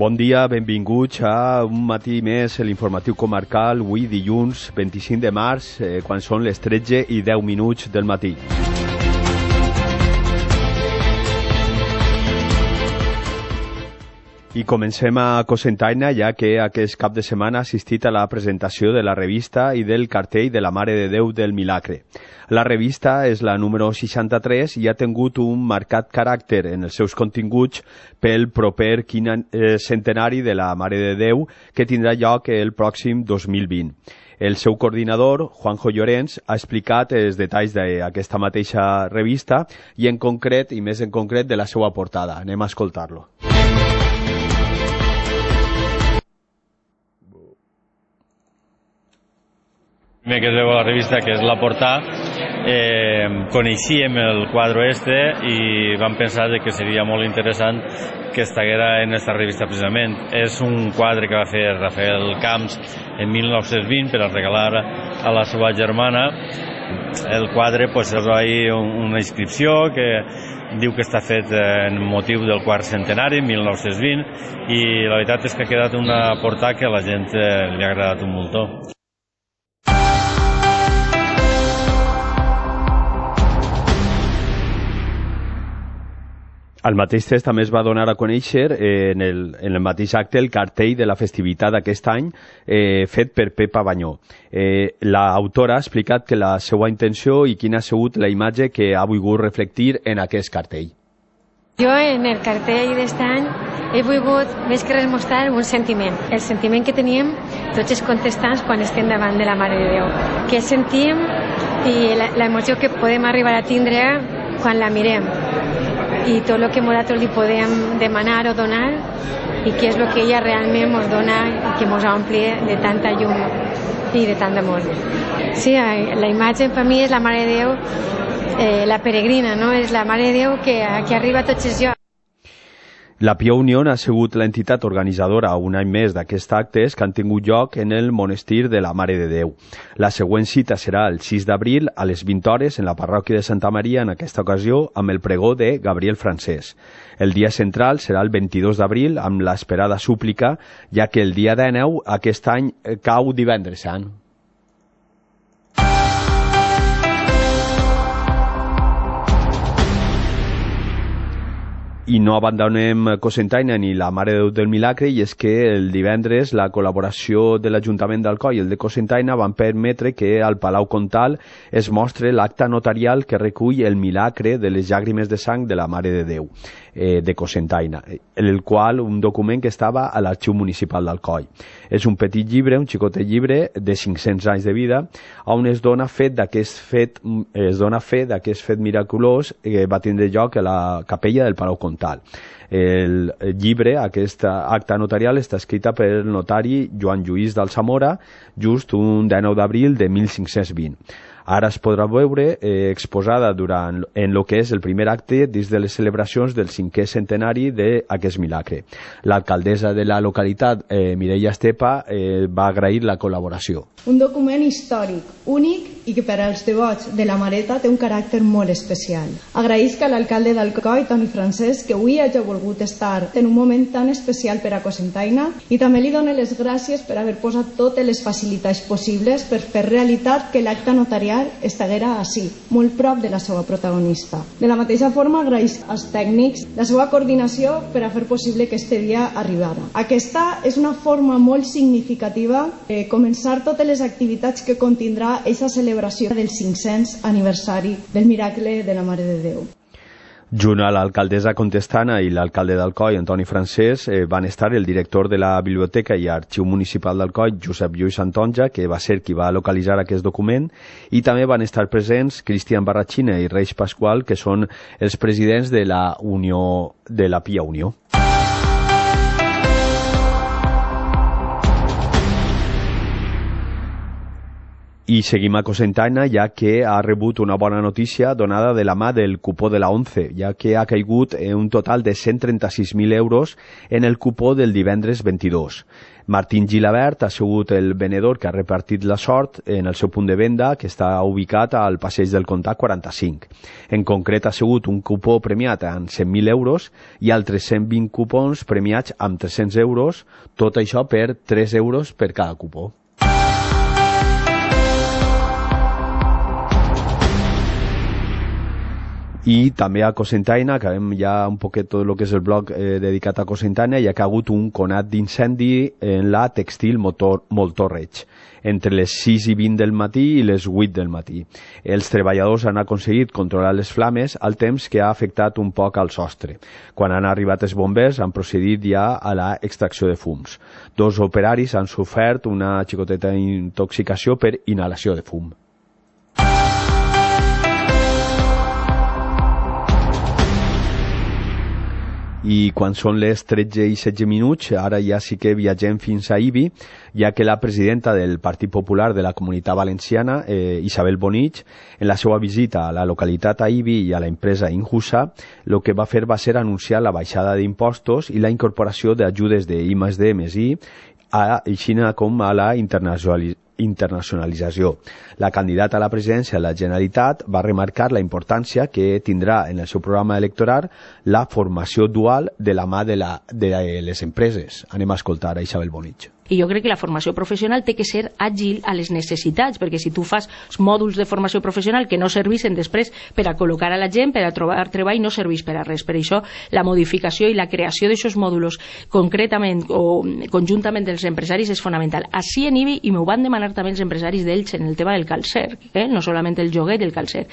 Bon dia, benvinguts a un matí més a l'informatiu comarcal, avui dilluns 25 de març, quan són les 13:10 del matí. I comencem a Cocentaina, ja que aquest cap de setmana ha assistit a la presentació de la revista i del cartell de la Mare de Déu del Milagre. La revista és la número 63 i ha tingut un marcat caràcter en els seus continguts pel proper centenari de la Mare de Déu, que tindrà lloc el pròxim 2020. El seu coordinador, Juanjo Llorens, ha explicat els detalls d'aquesta mateixa revista i en concret, i més en concret, de la seva portada. Anem a escoltar-lo. Primer que es veu a la revista, que és la portada, coneixíem el quadre i vam pensar que seria molt interessant que estiguera en aquesta revista precisament. És un quadre que va fer Rafael Camps en 1920 per a regalar a la seva germana. El quadre és una inscripció que diu que està fet en motiu del quart centenari, 1920, i la veritat és que ha quedat una portada que a la gent li ha agradat un muntó. Al mateix temps també es va donar a conèixer en el mateix acte el cartell de la festivitat d'aquest any fet per Pepa Banyó. L'autora ha explicat que la seva intenció i quina ha sigut la imatge que ha volgut reflectir en aquest cartell. Jo en el cartell d'aquest any he volgut més que res mostrar un sentiment, el sentiment que teníem tots els contestants quan estem davant de la Mare de Déu, què sentim i l'emoció que podem arribar a tindre quan la mirem, i tot el que nosaltres li podem demanar o donar i què és el que ella realment ens dona i que ens ompli de tanta llum i de tant d'amor. Sí, la imatge per mi és la Mare de Déu, la peregrina, no? És la Mare de Déu que arriba a tots els llocs. La Pia Unió ha sigut l'entitat organitzadora un any més d'aquests actes que han tingut lloc en el monestir de la Mare de Déu. La següent cita serà el 6 d'abril a les 20 hores en la parròquia de Santa Maria, en aquesta ocasió amb el pregó de Gabriel Francés. El dia central serà el 22 d'abril amb l'esperada súplica, ja que el dia 19 aquest any cau divendres sant. I no abandonem Cocentaina ni la Mare de Déu del Milagre, i és que el divendres la col·laboració de l'Ajuntament d'Alcoi i el de Cocentaina van permetre que al Palau Comtal es mostre l'acta notarial que recull el milagre de les llàgrimes de sang de la Mare de Déu de Cocentaina, el qual un document que estava a l'Arxiu Municipal d'Alcoi. És un petit llibre, un xicotet llibre de 500 anys de vida, on es dona fe d'aquest fet miraculós que va tindre lloc a la capella del Palau Comtal. El llibre, aquesta acta notarial, està escrita per el notari Joan Lluís d'Alsamora just un 19 d'abril de 1520. Ara es podrà veure exposada en el que és el primer acte dins de les celebracions del 5è centenari d'aquest milagre. L'alcaldessa de la localitat, Mireia Estepa, va agrair la col·laboració. Un document històric, únic i que per als devots de la Mareta té un caràcter molt especial. Agraïsc a l'alcalde d'Alcoi, Toni Francesc, que avui hagi volgut estar en un moment tan especial per a Cocentaina, i també li dono les gràcies per haver posat totes les facilitats possibles per fer realitat que l'acte notarial estiguera així, molt prop de la seva protagonista. De la mateixa forma, agraïsc als tècnics la seva coordinació per a fer possible que este dia arribara. Aquesta és una forma molt significativa de començar totes les activitats que contindrà aquesta celebració del 500 aniversari del miracle de la Mare de Déu. Junt a l'alcaldessa Contestana i l'alcalde d'Alcoi, Antoni Francés, van estar el director de la Biblioteca i Arxiu Municipal d'Alcoi, Josep Lluís Santonja, que va ser qui va localitzar aquest document, i també van estar presents Cristian Barratxina i Reis Pasqual, que són els presidents de la Unió de la Pia Unió. I seguim a Cocentaina, ja que ha rebut una bona notícia donada de la mà del cupó de la 11, ja que ha caigut un total de 136.000 euros en el cupó del divendres 22. Martín Gilabert ha sigut el venedor que ha repartit la sort en el seu punt de venda, que està ubicat al Passeig del Comtat 45. En concret, ha sigut un cupó premiat amb 100.000 euros i altres 120 cupons premiats amb 300 euros, tot això per 3 euros per cada cupó. I també a Cocentaina, acabem ja un poquet tot el que és el bloc dedicat a Cocentaina, hi ha hagut un conat d'incendi en la Textil Moltorreig, entre les 6 i 20 del matí i les 8 del matí. Els treballadors han aconseguit controlar les flames al temps que ha afectat un poc al sostre. Quan han arribat els bombers han procedit ja a la extracció de fums. 2 operaris han sofert una xicoteta intoxicació per inhalació de fum. I quan són les 13 i 16 minuts, ara ja sí que viatgem fins a Ibi, ja que la presidenta del Partit Popular de la Comunitat Valenciana, Isabel Bonich, en la seva visita a la localitat a Ibi i a la empresa Injusa, el que va fer va ser anunciar la baixada d'impostos i la incorporació d'ajudes de I+D+I, així com a la internacionalització. La candidata a la presidència de la Generalitat va remarcar la importància que tindrà en el seu programa electoral la formació dual de la mà de les empreses. Anem a escoltar a Isabel Bonich. I jo crec que la formació professional té que ser àgil a les necessitats, perquè si tu fas mòduls de formació professional que no serveixen després per a col·locar a la gent, per a trobar treball, no serveix per a res. Per això la modificació i la creació d'aixòs mòduls concretament o conjuntament dels empresaris és fonamental. Així en IBI, i m'ho van demanar també els empresaris d'Elx en el tema del calcer, no solament el joguet i el calcer.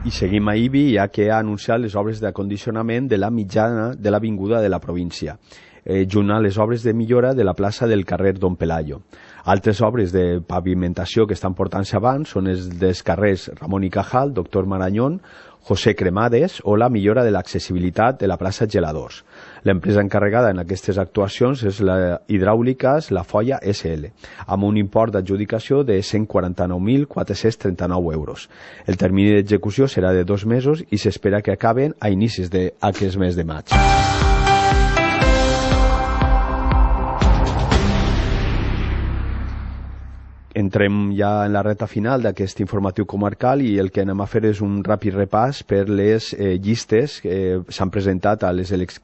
I seguim a Ibi, ja que ha anunciat les obres d'acondicionament de la mitjana de l'avinguda de la província, junt a les obres de millora de la plaça del carrer Don Pelayo. Altres obres de pavimentació que estan portant-se abans són els dels carrers Ramon y Cajal, Doctor Marañón, José Cremades o la millora de l'accessibilitat de la plaça Geladors. L'empresa encarregada en aquestes actuacions és la Hidràuliques La Folla SL, amb un import d'adjudicació de 149.439 euros. El termini d'execució serà de 2 mesos i s'espera que acaben a inicis d'aquest mes de maig. Entrem ja en la recta final d'aquest informatiu comarcal i el que anem a fer és un ràpid repàs per les llistes que s'han presentat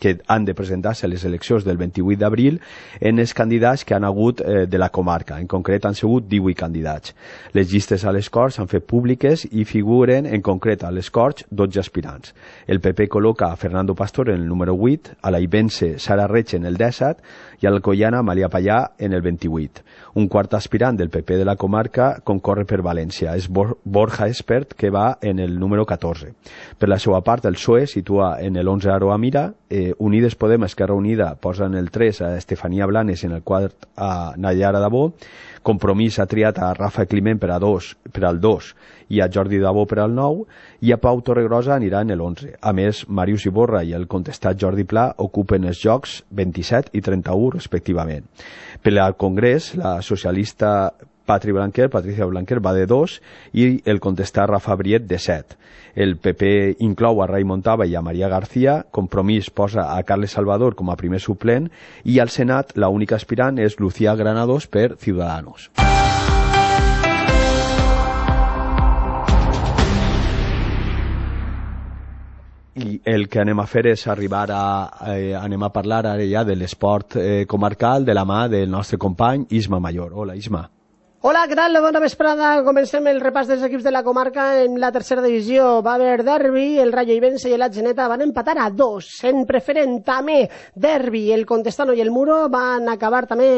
que han de presentar-se a les eleccions del 28 d'abril en els candidats que han hagut de la comarca. En concret han sigut 18 candidats. Les llistes a les Corts s'han fet públiques i figuren en concret a les Corts 12 aspirants. El PP col·loca a Fernando Pastor en el número 8, a la Ibense Sara Reig en el 17 i a l'Alcoiana Malia Pallà en el 28. Un quart aspirant del PP de la comarca concorre per València. És Borja Espert, que va en el número 14. Per la seva part, el PSOE situa en el 11 Aroa Mira, Unides Podem, Esquerra Unida posa en el 3 a Estefania Blanes, en el 4 a Nayara Dabó, Compromís ha triat a Rafa Climent per al 2 i a Jordi Dabó per al 9 i a Pau Torregrosa anirà en el 11. A més, Màrius Iborra i el contestat Jordi Pla ocupen els llocs 27 i 31 respectivament. Per al Congrés, la socialista Patricia Blanquer va de 2 i el contestat Rafa Briet de 7. El PP inclou a Ray Montava i a Maria García, Compromís posa a Carles Salvador com a primer suplent i al Senat l'única aspirant és Lucía Granados per Ciudadanos. I el que anem a fer és anem a parlar ara ja de l'esport comarcal de la mà del nostre company Isma Mayor. Hola, Isma. Hola, què tal? Bona vesprada. Comencem el repàs dels equips de la comarca. En la tercera divisió va haver derbi, el Rayo Ibense i el Atzeneta van empatar a 2. En preferent també derbi, el Contestano i el Muro van acabar també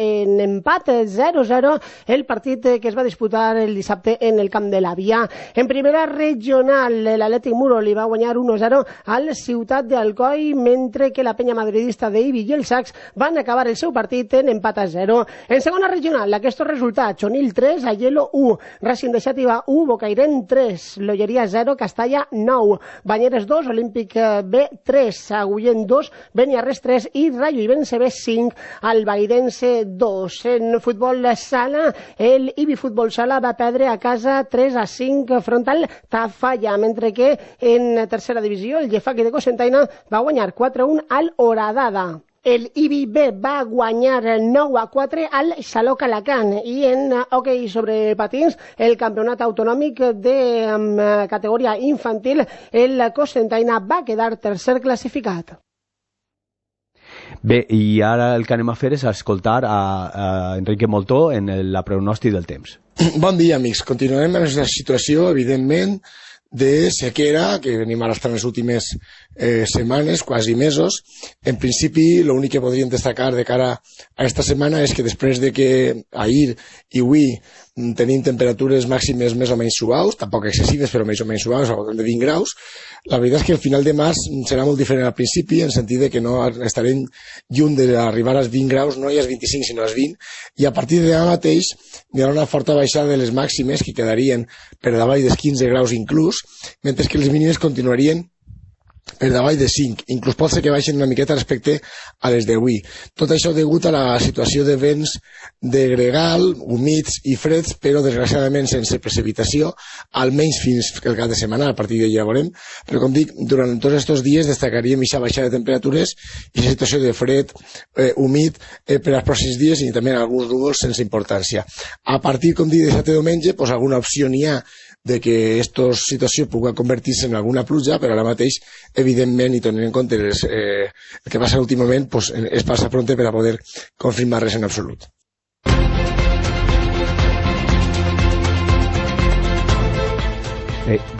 en empat 0-0 el partit que es va disputar el dissabte en el camp de la Via. En primera regional, l'Atlètic Muro li va guanyar 1-0 al Ciutat d'Alcoi, mentre que la penya madridista d'Ibi i el Sacs van acabar el seu partit en empat a 0. En segona regional, aquests resultats: empats, Onil 3, Aielo 1, Racing de Xàtiva 1, Bocairent 3, Lolleria 0, Castalla 9, Banyeres 2, Olímpic B 3, Agullent 2, Beniarrés 3 i Rayo Ibense B 5, Albairense 2. En futbol sala, el Ibi Futbol Sala va perdre a casa 3-5 front al Tafalla, mentre que en tercera divisió el Llefaqui de Cocentaina va guanyar 4-1 al Horadada. El Ibi B va guanyar 9-4 al Xaló Calacant i en hoquei sobre patins el campionat autonòmic de categoria infantil el Cocentaina va quedar tercer classificat. Bé, i ara el que anem a fer és escoltar a Enrique Moltó en la pronòstic del temps. Bon dia, amics. Continuarem en aquesta situació, evidentment, de sequera que venim arrastrant les últimes setmanes, quasi mesos. En principi, l'únic que podríem destacar de cara a esta setmana és que després de que ahir i avui tenim temperatures màximes més o menys suaus, tampoc excessives però més o menys suaus, al voltant de 20 graus, la veritat és que el final de març serà molt diferent al principi, en sentit de que no estarem lluny d'arribar als 20 graus, no als 25 sinó als 20, i a partir de demà mateix hi haurà una forta baixada de les màximes que quedarien per davall dels 15 graus inclús, mentre que les mínimes continuarien per davall de 5, inclús pot ser que baixen una miqueta respecte a les d'avui. Tot això degut a la situació de vents de gregal, humits i freds, però desgraciadament sense precipitació, almenys fins el cap de setmana, a partir d'ahir ja veurem, però com dic, durant tots aquests dies destacaríem aquesta baixada de temperatures i la situació de fred, humit, per als pròxims dies i també alguns núvols sense importància. A partir, com dic, de dissabte i diumenge, doncs alguna opció n'hi ha de que aquesta situació pugui convertir-se en alguna pluja, però ara mateix, evidentment, i tenint en compte el que passa últimament, pues, es passa pronte per a poder confirmar res en absolut.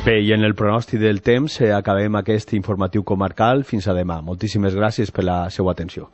Bé, i en el pronòstic del temps acabem aquest informatiu comarcal. Fins a demà. Moltíssimes gràcies per la seva atenció.